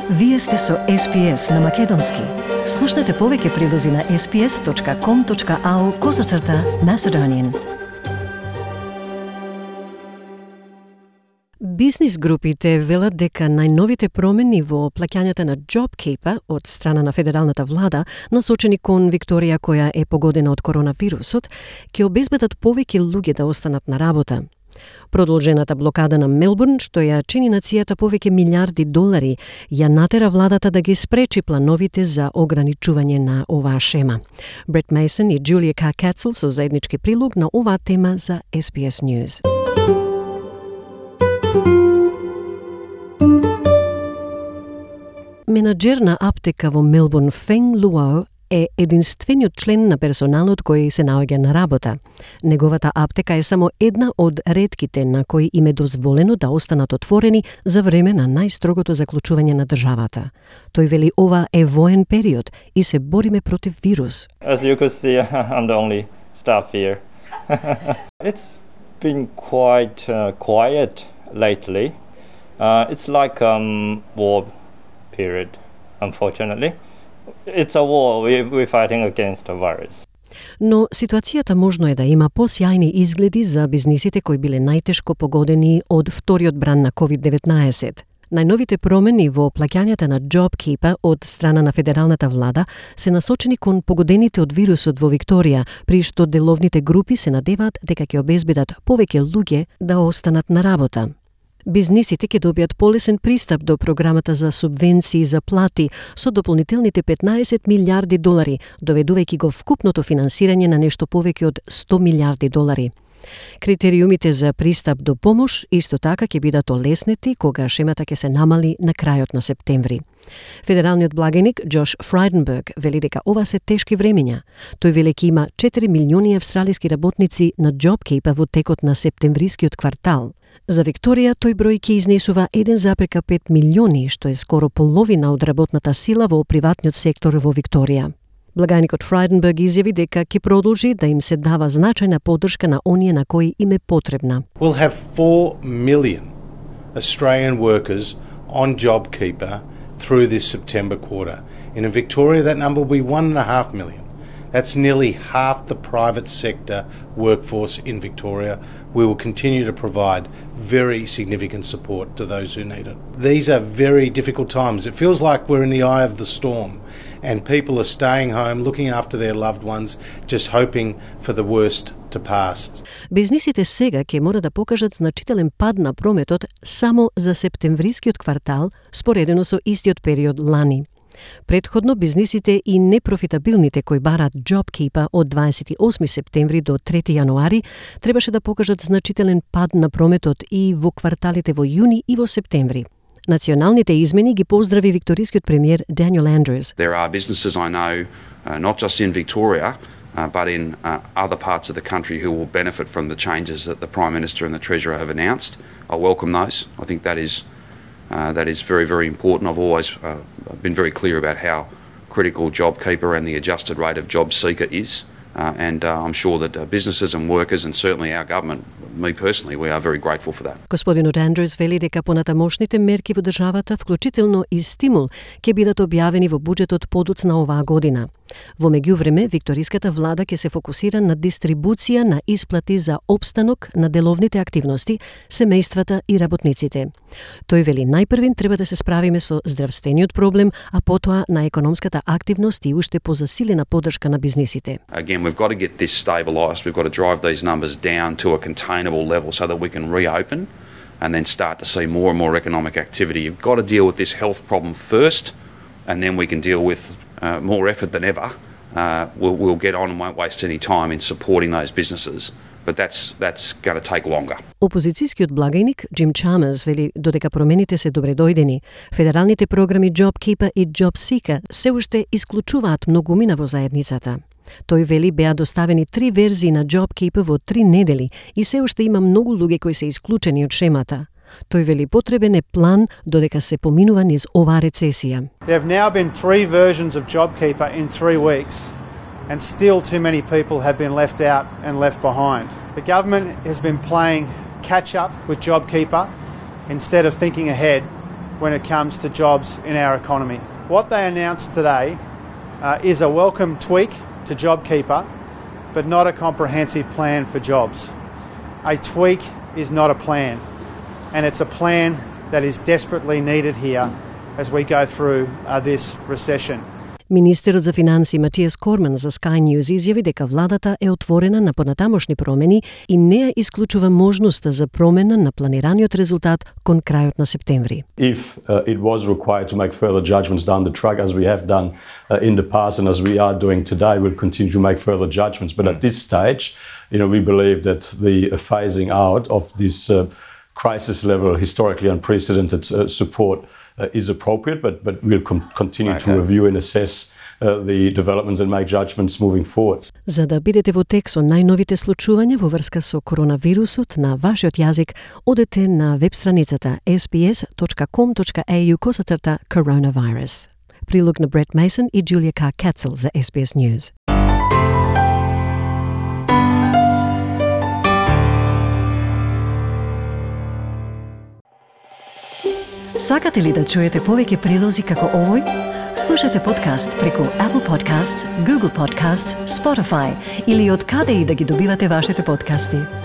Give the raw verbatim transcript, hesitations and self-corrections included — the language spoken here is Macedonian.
Вие сте со Ес Пи Ес на Македонски. Слушнете повеќе прилози на ес пи ес точка ком точка ау козацрта Macedonian. Бизнис групите велат дека најновите промени во плаќањата на JobKeeper од страна на федералната влада, насочени кон Викторија која е погодена од коронавирусот, ќе обезбедат повеќе луѓе да останат на работа. Продолжената блокада на Мелбурн, што ја чини нацијата повеќе милиарди долари, ја натера владата да ги спречи плановите за ограничување на оваа шема. Брет Мейсон и Джулија Ка Кацел со заеднички прилог на оваа тема за Ес Би Ес News. Менаџер на аптека во Мелбурн, Фенг Луао, е единствениот член на персоналот кој се наоѓа на работа. Неговата аптека е само една од ретките на кои им е дозволено да останат отворени за време на најстрогото заклучување на државата. Тој вели ова е воен период и се бориме против вирус. As you could see, I'm the only staff here. It's been quite uh, quiet lately. Uh, it's like um war period, unfortunately. It's a war. We, we're fighting against a virus. Но ситуацијата можно е да има посјајни изгледи за бизнисите кои биле најтешко погодени од вториот бран на ковид деветнаесет. Најновите промени во плаќањата на JobKeeper од страна на федералната влада се насочени кон погодените од вирусот во Викторија, при што деловните групи се надеваат дека ќе обезбедат повеќе луѓе да останат на работа. Бизнисите ќе добијат полесен пристап до програмата за субвенции за плати со дополнителните петнаесет милиарди долари, доведувајќи го вкупното финансирање на нешто повеќе од сто милиарди долари. Критериумите за пристап до помош исто така ќе бидат олеснети кога шемата ќе се намали на крајот на септември. Федералниот благајник Джош Фрайденберг вели дека ова се тешки времења. Тој вели дека има четири милиони австралиски работници на JobKeeper во текот на септемврискиот квартал. За Викторија тој број ќе изнесува еден зарез пет милиони, што е скоро половина од работната сила во приватниот сектор во Викторија. Благајникот Фрайденберг изјави дека ќе продолжи да им се дава значајна поддршка на оние на кои им е потребна. We'll have four million Australian workers on JobKeeper through this September quarter. In Victoria, that number will be one and a half million. That's nearly half the private sector workforce in Victoria. We will continue to provide very significant support to those who need it. These are very difficult times. It feels like we're in the eye of the storm and people are staying home, looking after their loved ones, just hoping for the worst to pass. Бизнисите сега ќе мора да покажат значителен пад на прометот само за септемврискиот квартал, споредено со истиот период лани. Предходно бизнисите и непрофитабилните кои бараат JobKeeper од дваесет и осми септември до трети јануари требаше да покажат значителен пад на прометот и во кварталите во јуни и во септември. Националните измени ги поздрави викторискиот премиер Daniel Andrews. There are businesses I know, uh, not just in Victoria, uh, but in uh, other parts of the country who will benefit from the changes that the Prime Minister and the Treasurer have announced. I welcome those. I think that is Uh, that is very, very important. I've always uh, been very clear about how critical JobKeeper and the adjusted rate of job seeker is. Uh, and uh, I'm sure that uh, businesses and workers and certainly our government, me personally, we are very grateful for that. Господинот Андрес вели дека понатамошните мерки во државата, вклучително и стимул, ќе бидат објавени во буџетот подоцна оваа година. Во меѓувреме, викториската влада ќе се фокусира на дистрибуција на исплати за опстанок на деловните активности, семејствата и работниците. Тој вели најпрвин треба да се справиме со здравствениот проблем, а потоа на економската активност и уште позасилена поддршка на бизнисите. Again, we've got to get this stabilised. We've got to drive these numbers down to a containable level so that we can reopen and then start to see more and more economic activity. You've got to deal with this health problem first, and then we can deal with uh, more effort than ever. Uh, we'll, we'll get on and won't waste any time in supporting those businesses. But that's that's going to take longer. Опозицијскиот благајник Джим Чамерс вели додека промените се добредојдени, федералните програми JobKeeper и JobSeeker се уште исклучуваат многумина во заедницата. Тој вели беа доставени три верзии на JobKeeper во три недели и се уште има многу луѓе кои се исклучени од шемата. Тој вели потребен е план додека се поминува низ оваа рецесија. There have now been three versions of JobKeeper in three weeks. And still too many people have been left out and left behind. The government has been playing catch up with JobKeeper instead of thinking ahead when it comes to jobs in our economy. What they announced today uh, is a welcome tweak to JobKeeper, but not a comprehensive plan for jobs. A tweak is not a plan, and it's a plan that is desperately needed here as we go through uh, this recession. Министерот за финансии Матијас Корман за Sky News изјави дека владата е отворена на понатамошни промени и не ја исклучува можноста за промена на планираниот резултат кон крајот на септември. If uh, it was required to make further judgments down the track, as we have done uh, in the past and as we are doing today, we'll continue to make further judgments. But at this stage, you know, we believe that the uh, phasing out of this uh, crisis level, historically unprecedented uh, support Uh, is appropriate, but but we'll com- continue okay. to review and assess uh, the developments and make judgments moving forward. За да бидете во тек со најновите случувања во врска со коронавирусот на вашиот јазик, одете на веб страницата ес би ес точка ком точка ей ю косацрта coronavirus. Прилог на Брет Мейсон и Джулија Кар Кацел за Ес Би Ес News. Сакате ли да чуете повеќе прилози како овој? Слушате подкаст преку Apple Podcasts, Google Podcasts, Spotify или од каде и да ги добивате вашите подкасти.